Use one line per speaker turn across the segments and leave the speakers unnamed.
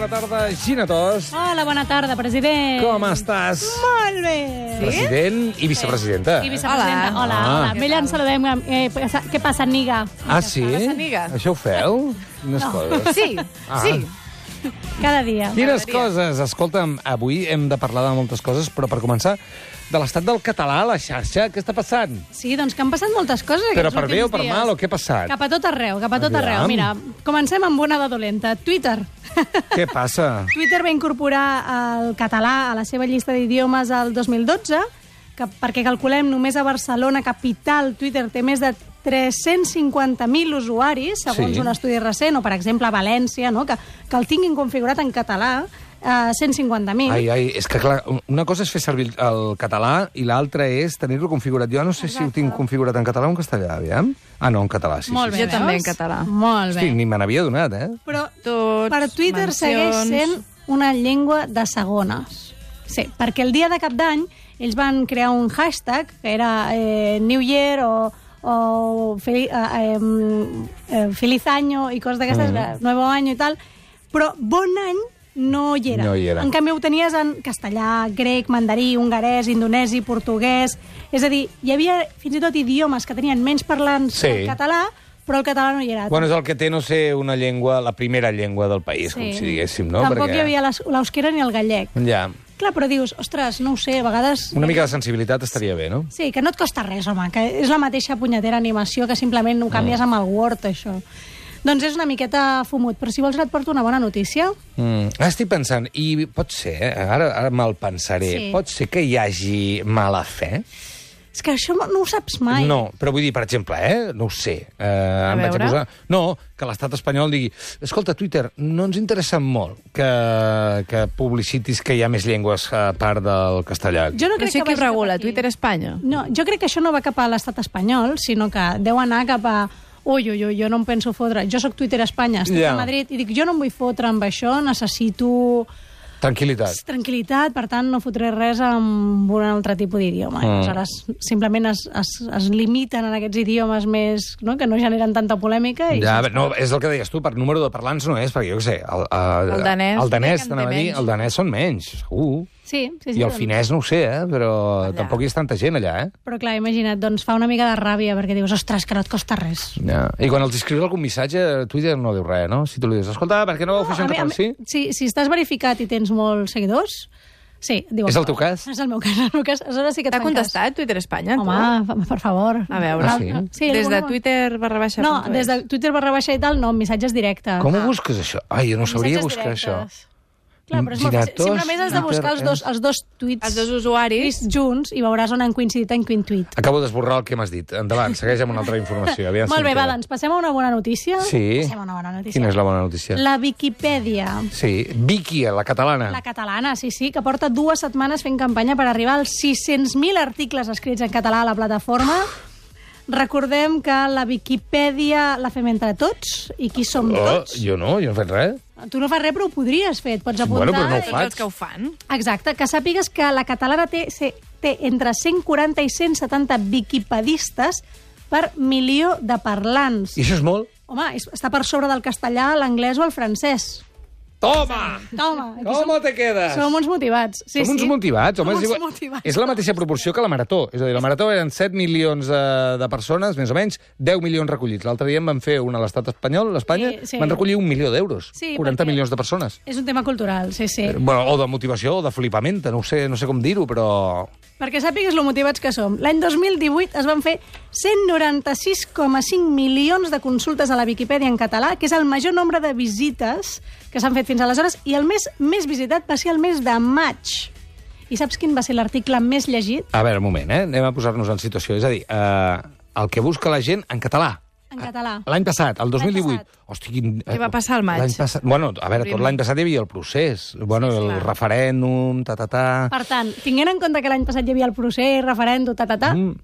tarda, Gina Tos.
Hola, bona tarda, president.
Com estàs?
Molt bé.
President i vicepresidenta.
I vicepresidenta. Hola. Amb ella ens saludem. Què passa, Niga?
Sí?
Amiga.
Això ho feu? Quines coses?
Sí, sí.
Cada dia.
Quines coses? Escolta'm, avui hem de parlar de moltes coses, però per començar, de l'estat del català a la xarxa, què està passant?
Sí, doncs que han passat moltes coses
Però
aquests
per bé o
últims
per
dies.
mal, o què ha passat?
Cap a tot arreu, cap a tot arreu.
Aviam.
Mira, comencem amb una de dolenta. Twitter.
Què passa?
Twitter va incorporar el català a la seva llista d'idiomes el 2012, perquè calculem només a Barcelona, capital, Twitter té més de 350.000 usuaris, segons
Sí.
un estudi recent, o per exemple a València, no? que el tinguin configurat en català, 150.000.
Ai, és que clar, una cosa és fer servir el català i l'altra és tenir-lo configurat. Jo no sé si ho tinc configurat en català o en castellà, aviam. Ah, no, en català, sí.
Molt
sí,
bé,
Jo també
veus?
en català.
Molt bé.
Hosti, ni me n'havia donat, eh?
Però
Tots,
per Twitter segueix sent una llengua de segones. Sí, perquè el dia de Cap d'Any ells van crear un hashtag que era New Year o Feliz Año i coses d'aquestes, Nuevo Año i tal, però Bon Any no hi era.
No hi era.
En canvi ho tenies en castellà, grec, mandarí, hongarès, indonesi, portuguès... És a dir, hi havia fins i tot idiomes que tenien menys parlants
Sí.
que el català, però el català no hi era.
Bueno, és el que té no ser una llengua, la primera llengua del país, com si diguéssim, no?
Tampoc hi havia l'euskera ni el gallec.
Ja.
Clar, però dius, ostres, no ho sé, a vegades...
Una mica de sensibilitat estaria bé, no?
Sí, que no et costa res, home, que és la mateixa punyetera animació que simplement ho canvies amb el Word, això. Doncs és una miqueta fumut, però si vols et porto una bona notícia.
Estic pensant, i pot ser, ara me'l pensaré,
Sí.
pot ser que hi hagi mala fe?
És que això no ho saps mai.
No, però vull dir, per exemple, no ho sé. Em vaig a
veure.
posar... No, que l'estat espanyol digui escolta, Twitter, no ens interessa molt que publicitis que hi ha més llengües a part del castellà.
Jo no
Però
crec
sí
que
que
vagi cap
regula,
aquí.
Twitter Espanya.
No, jo crec que això no va cap a l'estat espanyol, sinó que deu anar cap a... Ui, jo no em penso fotre. Jo sóc Twitter Espanya, estic
Ja.
a Madrid, i dic, jo no em vull fotre amb això, necessito...
Tranquil·litat.
Tranquil·litat, per tant, no fotré res amb un altre tipus d'idioma. Aleshores, simplement es limiten en aquests idiomes més, no?, que no generen tanta polèmica. I
Ja, no, és el que deies tu, per número de parlants no és, perquè jo què sé,
El danès,
el danès,
crec que en
t'anava a
té
dir,
menys.
el danès són menys, segur.
Sí,
I el finès no ho sé, però
Allà.
tampoc hi és tanta gent allà,
Però clar, imagina't, doncs fa una mica de ràbia, perquè dius, ostres, que no et costa res.
Ja. I quan els escrius algun missatge, Twitter no diu res, no? Si tu li dius, escolta, per què no ho fes en català? Sí?
Si estàs verificat i tens molts seguidors, sí, diu.
És el teu cas?
És el meu cas, el meu cas. Aleshores sí que et
T'ha
fan cas.
contestat Twitter Espanya? tu?
Home, per favor.
A veure.
Ah, sí?
Sí,
Des de
alguna-
Twitter /.
No, des de Twitter // i tal, no, missatges directes.
Com ho busques, això? Ai, jo no sabria
Missatges
buscar això.
directes. Clar, però és molt fàcil.
Giratos,
Simplement has de buscar
Twitter,
els dos tuits
Els dos usuaris.
junts i veuràs on han coincidit en quin tuit.
Acabo d'esborrar el que m'has dit. Endavant, segueix amb una altra informació. Aviam si
Molt bé,
em
va,
queda.
doncs passem a una bona notícia.
Sí.
Passem a una bona notícia.
Quina és la bona notícia?
La Viquipèdia.
Sí, Vicky, la catalana.
La catalana, sí, que porta 2 setmanes fent campanya per arribar als 600.000 articles escrits en català a la plataforma. Recordem que la Viquipèdia la fem entre tots, i qui som tots?
Jo no he fet res.
Tu no fas res, però ho podries fer, et pots apuntar.
Bueno, però no ho
I
faig.
tots que ho fan.
Exacte, que sàpigues que la catalana té entre 140 i 170 viquipedistes per milió de parlants.
I això és molt?
Home, està per sobre del castellà, l'anglès o el francès.
Toma!
Toma, aquí
Com te quedes?
som uns motivats. Sí,
Som uns
sí.
motivats, home.
Som
és
uns
igual-
motivats.
És la mateixa proporció que la Marató. És a dir, la Marató eren 7 milions de persones, més o menys, 10 milions recollits. L'altre dia en van fer una a l'estat espanyol, l'Espanya,
Sí, sí.
van recollir 1 milió d'euros.
Sí,
40
perquè-
milions de persones.
És un tema cultural, sí.
Bueno, o de motivació, o de flipamenta, no sé com dir-ho, però...
Perquè sàpigues lo motivats que som. L'any 2018 es van fer 196,5 milions de consultes a la Viquipèdia en català, que és el major nombre de visites que s'han fet fins aleshores, i el mes més visitat va ser el mes de maig. I saps quin va ser l'article més llegit?
A veure, un moment, anem a posar-nos en situació. És a dir, el que busca la gent en català.
En català.
L'any passat, el 2018.
L'any passat.
Hosti,
Què va passar al maig?
L'any passat, bueno, a veure, tot l'any passat hi havia el procés. Bueno,
Sí,
el
clar.
referèndum,
Per tant, tinguent en compte que l'any passat hi havia el procés, referèndum,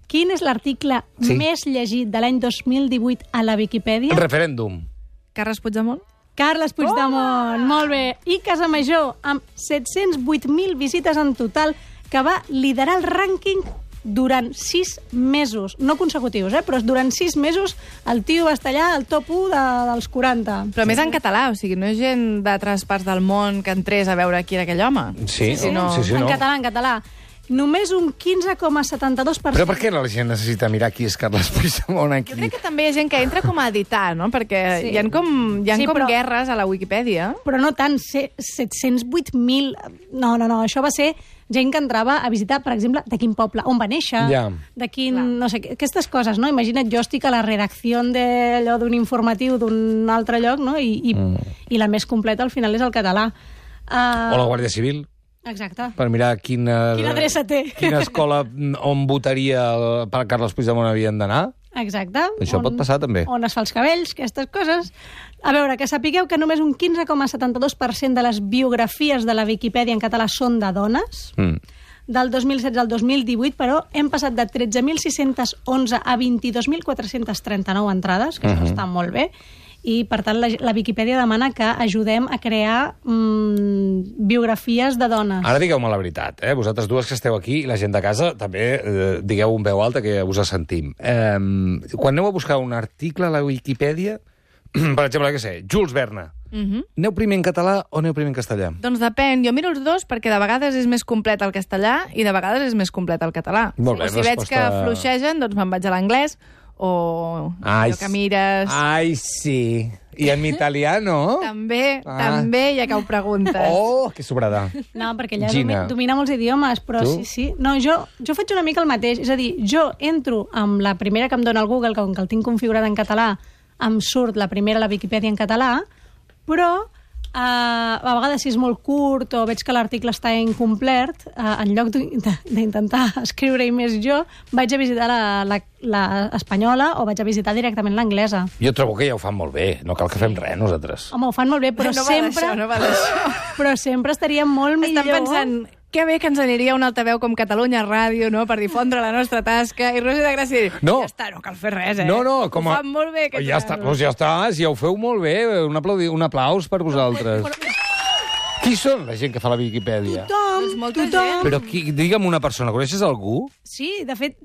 quin és l'article
Sí.
més llegit de l'any 2018 a la Viquipèdia?
Referèndum.
Carles Puigdemont?
Carles Puigdemont, molt bé. I Casamajor, amb 708.000 visites en total, que va liderar el rànquing durant 6 mesos. No consecutius, però durant 6 mesos el tio va estar allà al top 1 dels 40.
Però més en català, o sigui, no és gent d'altres parts del món que entrés a veure qui era aquell home.
Sí,
no.
En català. Només un 15,72%.
Però per què la gent necessita mirar qui és Carles Puigdemont aquí?
Jo crec que també hi ha gent que entra com a editar, no? Perquè hi ha com guerres a la Wikipedia.
Però no tant, 708.000... No, això va ser gent que entrava a visitar, per exemple, de quin poble, on va néixer, de quin... No sé, aquestes coses, no? Imagina't, jo estic a la redacció d'un informatiu d'un altre lloc, no? I la més completa al final és el català.
O la Guàrdia Civil.
Exacte.
Per mirar quina
adreça té.
Quina escola on votaria per Carles Puigdemont havien d'anar.
Exacte.
Això pot passar, també.
On es fa els cabells, aquestes coses. A veure, que sapigueu que només un 15,72% de les biografies de la Viquipèdia en català són de dones. Del 2016 al 2018, però, hem passat de 13.611 a 22.439 entrades, que això està molt bé. I, per tant, la Viquipèdia demana que ajudem a crear biografies de dones.
Ara digueu-me la veritat, vosaltres dues que esteu aquí i la gent de casa, també digueu en veu alta que us sentim. Quan aneu a buscar un article a la Viquipèdia, per exemple, què sé, Jules Verne, aneu primer en català o aneu primer en castellà?
Doncs depèn, jo miro els dos perquè de vegades és més complet el castellà i de vegades és més complet el català.
Molt bé,
o si veig que fluixegen, doncs me'n vaig a l'anglès, o allò que mires...
Ai, sí. I en italià, no?
També, ja que ho preguntes.
Oh, que sobrada.
No, perquè ella domina molts idiomes, però sí. No, jo faig una mica el mateix. És a dir, jo entro amb la primera que em dona el Google, com que el tinc configurat en català, em surt la primera a la Viquipèdia en català, però a vegades si és molt curt o veig que l'article està incomplet, en lloc d'intentar escriure-hi més jo, vaig a visitar l'espanyola o vaig a visitar directament l'anglesa.
Jo trobo que ja ho fan molt bé, no cal que fem res nosaltres.
Home, ho fan molt bé, però
no va d'això.
Però sempre estaria molt millor...
Estan pensant... Que bé que ens aniria un altaveu com Catalunya Ràdio, no?, per difondre la nostra tasca. I Rosi de Gràcia dir, ja està, no cal fer res,
No,
ho fan molt bé.
Ja està, si ja ho feu molt bé. Un aplaus per vosaltres. Qui són la gent que fa la Viquipèdia?
Tothom.
Però digue'm una persona, coneixes algú?
Sí, de fet,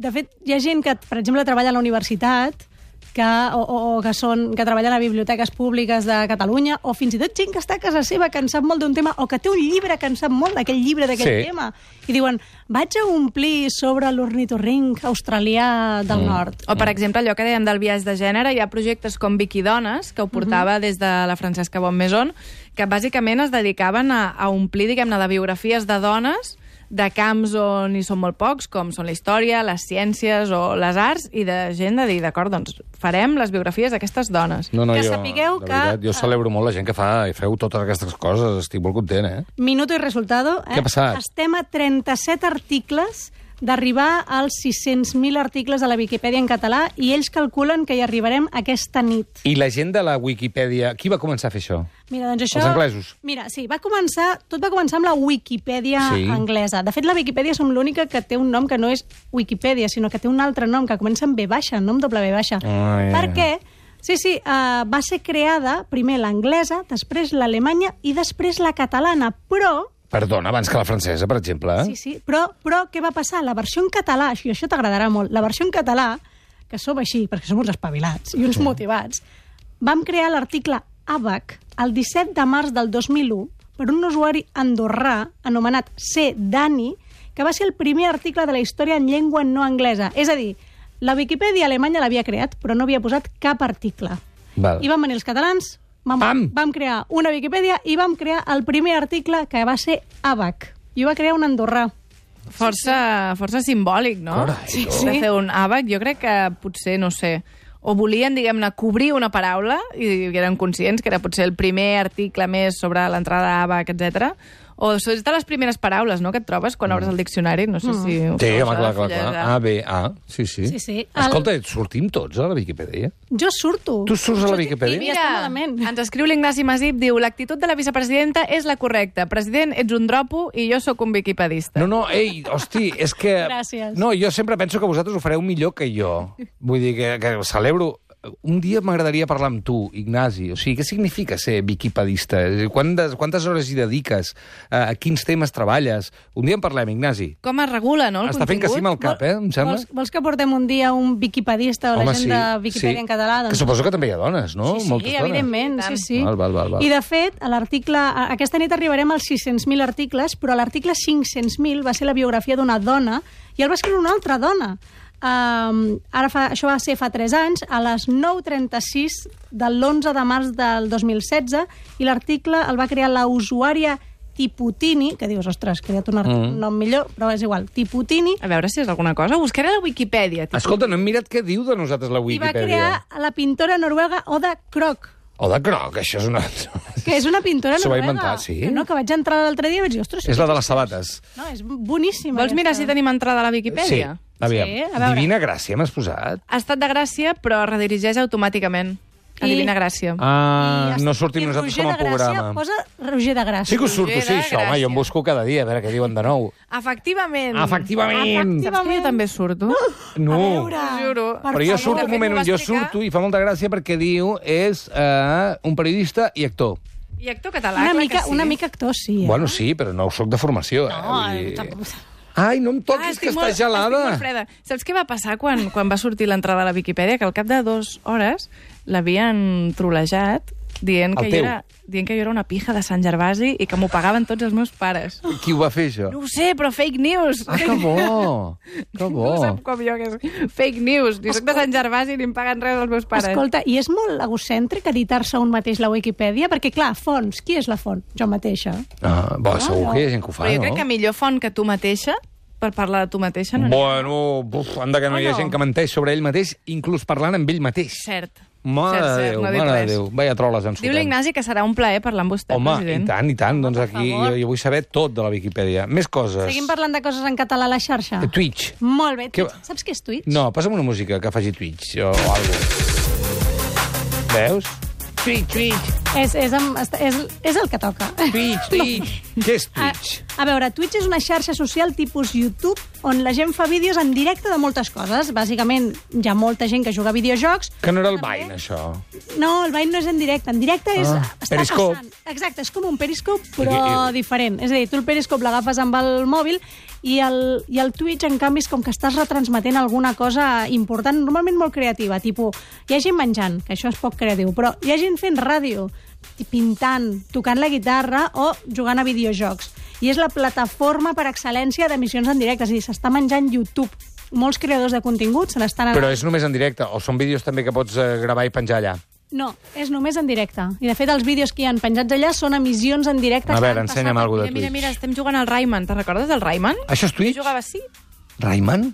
hi ha gent que, per exemple, treballa a la universitat, que treballen a biblioteques públiques de Catalunya, o fins i tot gent que està a casa seva, que en sap molt d'un tema, o que té un llibre que en sap molt d'aquell llibre, d'aquell tema. I diuen, vaig a omplir sobre l'ornitorrinc australià del nord.
O, per exemple, allò que dèiem del biaix de gènere, hi ha projectes com Viquidones, que ho portava des de la Francesca Bonmaison, que bàsicament es dedicaven a omplir, diguem-ne, de biografies de dones de camps on hi són molt pocs, com són la història, les ciències o les arts, i de gent de dir, d'acord, doncs farem les biografies d'aquestes dones.
No, jo celebro molt la gent que feu totes aquestes coses, estic molt content,
Minuto i resultado.
Què ha passat?
Estem a 37 articles d'arribar als 600.000 articles a la Viquipèdia en català i ells calculen que hi arribarem aquesta nit.
I la gent de la Wikipedia, qui va començar a fer això?
Mira, doncs això...
Els anglesos?
Mira, sí, tot va començar amb la Wikipedia anglesa. De fet, la Viquipèdia som l'única que té un nom que no és Wikipedia, sinó que té un altre nom, que comença amb V baixa, no amb W baixa. Perquè, va ser creada primer l'anglesa, després l'alemanya i després la catalana, però...
Perdona, abans que la francesa, per exemple.
Sí, però què va passar? La versió en català, i això t'agradarà molt, la versió en català, que som així, perquè som uns espavilats i uns motivats, vam crear l'article ABAC el 17 de març del 2001 per un usuari andorrà anomenat C. Dani, que va ser el primer article de la història en llengua no anglesa. És a dir, la Viquipèdia alemanya l'havia creat, però no havia posat cap article. I van venir els catalans... Vam crear una Viquipèdia i vam crear el primer article que va ser ABAC. I ho va crear un andorrà.
Força simbòlic, no?
Sí.
De fer un ABAC, jo crec que potser, no sé, o volien, diguem-ne, cobrir una paraula i eren conscients que era potser el primer article més sobre l'entrada ABAC, etc. O és de les primeres paraules, no?, que et trobes quan obres el diccionari. No sé si...
Sí, home, clar. A, B, A. Sí. Escolta, sortim tots a la Viquipèdia?
Jo surto.
Tu surts a la Viquipèdia?
Mira, ens escriu l'Ignasi Masip, diu, l'actitud de la vicepresidenta és la correcta. President, ets un dropo i jo sóc un viquipedista.
No, ei, hosti, és que...
Gràcies.
No, jo sempre penso que vosaltres ho fareu millor que jo. Vull dir que celebro... un dia m'agradaria parlar amb tu, Ignasi. O sigui, què significa ser viquipedista? Quantes hores hi dediques? A quins temes treballes? Un dia en parlem, Ignasi.
Com es regula, no, el
Està fent que sí amb el cap, em sembla?
Vols que portem un dia un viquipedista o la gent de Viquipèdia en català?
Que suposo que també hi ha dones, no?
Sí,
Moltes dones.
evidentment, sí.
Val.
I, de fet, a l'article... Aquesta nit arribarem als 600.000 articles, però l'article 500.000 va ser la biografia d'una dona i el va escriure una altra dona. Això va ser fa 3 anys, a les 9:36 de l'11 de març del 2016, i l'article el va crear la usuària Tiputini, que dius, ostres, creat un nom millor, però és igual, Tiputini.
A veure si és alguna cosa. Buscaré a la Wikipedia.
Escolta, no hem mirat què diu de nosaltres la
I va
Wikipedia.
crear la pintora noruega Oda Krog,
Oda Krog, això és una...
que és una pintora
S'ho va
noruega.
inventar, sí?
Que vaig entrar l'altre dia i vaig dir, ostres...
És la de les sabates.
No, és boníssima.
Vols mirar si tenim entrada a la
Sí,
Wikipedia?
aviam.
Sí, a veure.
Divina Gràcia m'has posat.
Ha estat de Gràcia, però redirigeix automàticament a Divina Gràcia.
No sortim nosaltres com a programa.
Posa Roger de Gràcia.
Sí que us surto, sí,
Roger de
això, home, jo em
Gràcia.
busco cada dia, a veure què diuen de nou.
Efectivament.
Efectivament!
Saps que jo també surto?
No.
A veure,
T'ho juro.
per
Però jo
favor.
surto, un moment,
De fet, m'ho
jo
va explicar.
surto i fa molta gràcia perquè diu és un periodista i actor.
I actor català, clar que sí.
Una mica actor, sí.
Bueno, sí, però no soc de formació.
No,
Vull dir-
tampoc...
Ai, no em toquis, que està gelada.
Estic molt freda. Saps què va passar quan va sortir l'entrada a la Viquipèdia? Que al cap de 2 hores l'havien trolejat dient
El
que,
teu.
dient que jo era una pija de Sant Gervasi i que m'ho pagaven tots els meus pares.
Qui ho va fer, això?
No ho sé, però fake news.
Ah, que bo! Que
No
bo!
ho sap com jo, que és fake news. Jo soc de Sant Gervasi i ni em paguen res els meus pares.
Escolta, i és molt egocèntric editar-se un mateix la Wikipedia? Perquè, clar, fonts, qui és la font? Jo mateixa.
Segur que hi ha gent que ho fa,
Però jo
no?
crec que millor font que tu mateixa, per parlar de tu mateixa, no n'hi ha.
Bueno, anda que no hi ha
no?
gent que menteix sobre ell mateix, inclús parlant amb ell mateix.
Cert.
Mare de Déu,
no dic
mare de
res.
Déu. Vaya troles ens
Diu l'Ignasi que serà un plaer parlar amb vostè,
Home,
president.
i tant. Doncs
per
aquí
favor.
jo vull saber tot de la Viquipèdia. Més coses.
Seguim parlant de coses en català a la xarxa?
Twitch.
Molt bé.
Què-
Saps què és Twitch?
No, passa'm una música que faci Twitch o alguna cosa. Veus? Twitch.
És el que toca.
Twitch. Què és Twitch?
A veure, Twitch és una xarxa social tipus YouTube on la gent fa vídeos en directe de moltes coses. Bàsicament, hi ha molta gent que juga a videojocs.
Que no era el Vine, això.
No, el Vine no és en directe. En directe és... està
Periscope.
passant. Exacte, és com un Periscope, però diferent. És a dir, tu el Periscope l'agafes amb el mòbil i el Twitch, en canvi, és com que estàs retransmetent alguna cosa important, normalment molt creativa, tipus, hi ha gent menjant, que això és poc creatiu, però hi ha gent fent ràdio, pintant, tocant la guitarra o jugant a videojocs. I és la plataforma per excel·lència d'emissions en directe, és a dir, s'està menjant YouTube. Molts creadors de contingut se n'estan...
Però és només en directe, o són vídeos també que pots gravar i penjar allà?
No, és només en directe. I, de fet, els vídeos que hi ha penjats allà són emissions en directe.
A veure, ensenya'm alguna cosa de Twitch.
Mira, estem jugant al Rayman. Te'n recordes del Rayman?
Això és Twitch?
Jo jugava així.
Rayman?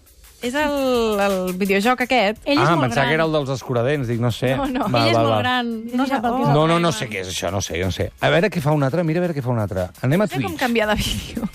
És el videojoc aquest.
Ell és molt
pensava
gran.
que era el dels escuradents, dic, no sé.
No.
Ell és molt gran. No sap el que és el
No
Rayman.
sé què és això, no sé. A veure què fa un altre, mira a veure què fa un altre. Anem a
No sé com
Twitch.
canviar de vídeo.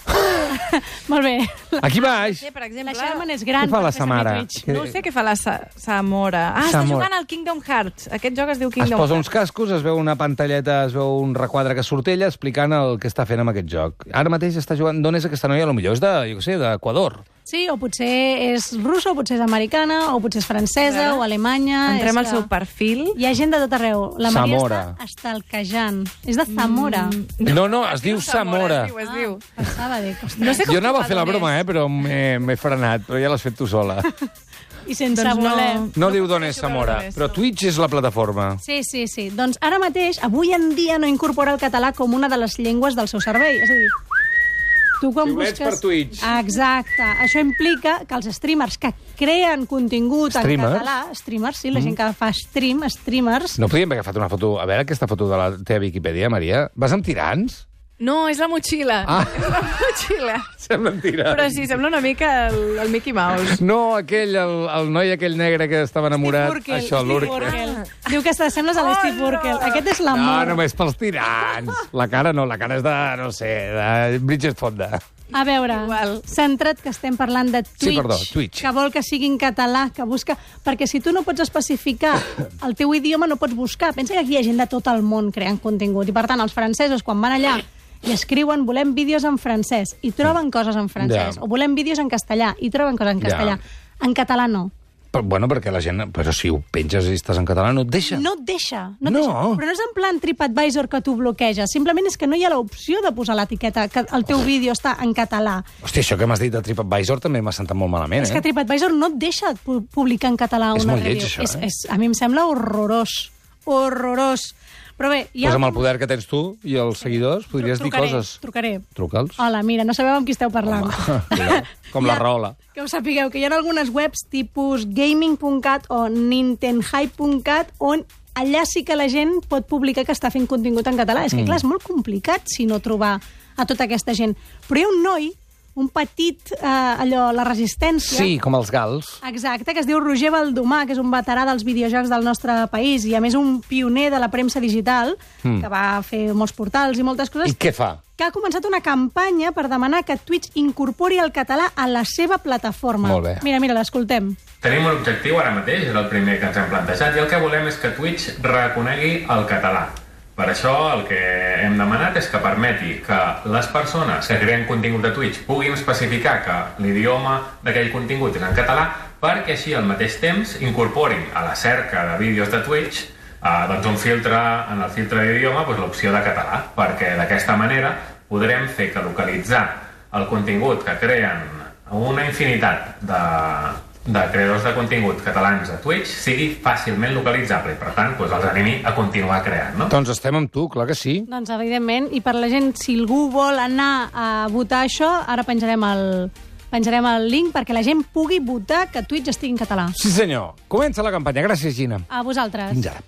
Molt bé.
Aquí baix.
Sí, per exemple...
La Sherman és gran.
Què fa la
per fer servir
Samara?
Twitch.
No ho sé què fa la Samora. Està
Samora.
jugant al Kingdom Hearts. Aquest joc es diu
Es
Kingdom
posa
Hearts.
uns cascos, es veu una pantalleta, es veu un requadre que surt ella explicant el que està fent amb aquest joc. Ara mateix està jugant... D'on és aquesta noia? Potser és de, jo què sé, d'Equador.
Sí, o potser és russa, o potser és americana, o potser és francesa, o alemanya...
Entrem
és
al seu perfil.
Hi ha gent de tot arreu. La Maria
Zamora.
està estalquejant. És de Zamora.
No, es diu Zamora.
Es diu.
Pensava, dic, ostres.
No sé com
Jo anava a fer la
d'on
broma,
és.
però m'he frenat, però ja l'has fet tu sola.
I sense
Doncs no.
voler.
No diu d'on
podré
és
jugar
Zamora,
d'on és,
però
no.
Twitch és la plataforma.
Sí. Doncs ara mateix, avui en dia, no incorpora el català com una de les llengües del seu servei. És a dir, tu quan
Xiulets
busques...
per Twitch.
Exacte. Això implica que els streamers que creen contingut
Streamers?
en català... Streamers, sí, la gent que fa streamers...
No podíem haver agafat una foto... A veure aquesta foto de la teva Viquipèdia, Maria. Vas amb tirants?
No, és la motxilla.
Ah.
És la motxilla.
Sembla tirants.
Però sí, sembla una mica el Mickey Mouse.
No, el noi aquell negre que estava enamorat.
Steve Urkel,
Això,
Steve
l'Urkel.
Urkel. Diu que t'assembles a l'Steve Urkel. Aquest és
No,
l'amor.
només pels tirants. La cara no, la cara és de, no sé, de Bridget Fonda.
A veure,
Igual.
centra't que estem parlant de Twitch,
Sí, perdó, Twitch.
que vol que sigui en català, que busca... Perquè si tu no pots especificar el teu idioma, no pots buscar. Pensa que aquí hi ha gent de tot el món creant contingut. I, per tant, els francesos, quan van allà i escriuen volem vídeos en francès, i troben coses en francès.
Ja.
O volem vídeos en castellà, i troben coses en castellà. En català no.
Bueno, perquè la gent... Però si ho penges i estàs en català, no et deixa.
No et deixa.
No.
Però no és en plan TripAdvisor que t'ho bloqueja. Simplement és que no hi ha l'opció de posar l'etiqueta que el teu vídeo està en català.
Hòstia, això que m'has dit de TripAdvisor també m'ha sentat molt malament,
És que TripAdvisor no et deixa publicar en català
És
una
molt lleig,
review.
això,
A mi em sembla horrorós. Horrorós. Però bé,
Pues amb el poder que tens tu i els seguidors podries dir coses.
Trucaré.
Truca'ls.
Hola, mira, no sabeu amb qui esteu parlant.
Com la rola.
Que us sapigueu que hi ha algunes webs tipus gaming.cat o nintenhype.cat on allà sí que la gent pot publicar que està fent contingut en català. És que, clar, és molt complicat si no trobar a tota aquesta gent. Però hi ha un noi, un petit, la resistència...
Sí, com els gals.
Exacte, que es diu Roger Baldomà, que és un veterà dels videojocs del nostre país i, a més, un pioner de la premsa digital, que va fer molts portals i moltes coses.
I què fa?
Que ha començat una campanya per demanar que Twitch incorpori el català a la seva plataforma.
Molt bé.
Mira, l'escoltem.
Tenim un objectiu ara mateix, és el primer que ens hem plantejat, i el que volem és que Twitch reconegui el català. Per això el que hem demanat és que permeti que les persones que creen contingut de Twitch puguin especificar que l'idioma d'aquell contingut és en català, perquè així al mateix temps incorporin a la cerca de vídeos de Twitch un filtre, en el filtre d'idioma, l'opció de català, perquè d'aquesta manera podrem fer que localitzar el contingut que creen una infinitat de creadors de contingut catalans a Twitch sigui fàcilment localitzable i, per tant, els animi a continuar creant, no?
Doncs estem amb tu, clar que sí.
Doncs, evidentment, i per la gent, si algú vol anar a votar això, ara penjarem el link perquè la gent pugui votar que Twitch estigui en català.
Sí, senyor. Comença la campanya. Gràcies, Gina.
A vosaltres.
Fins ara.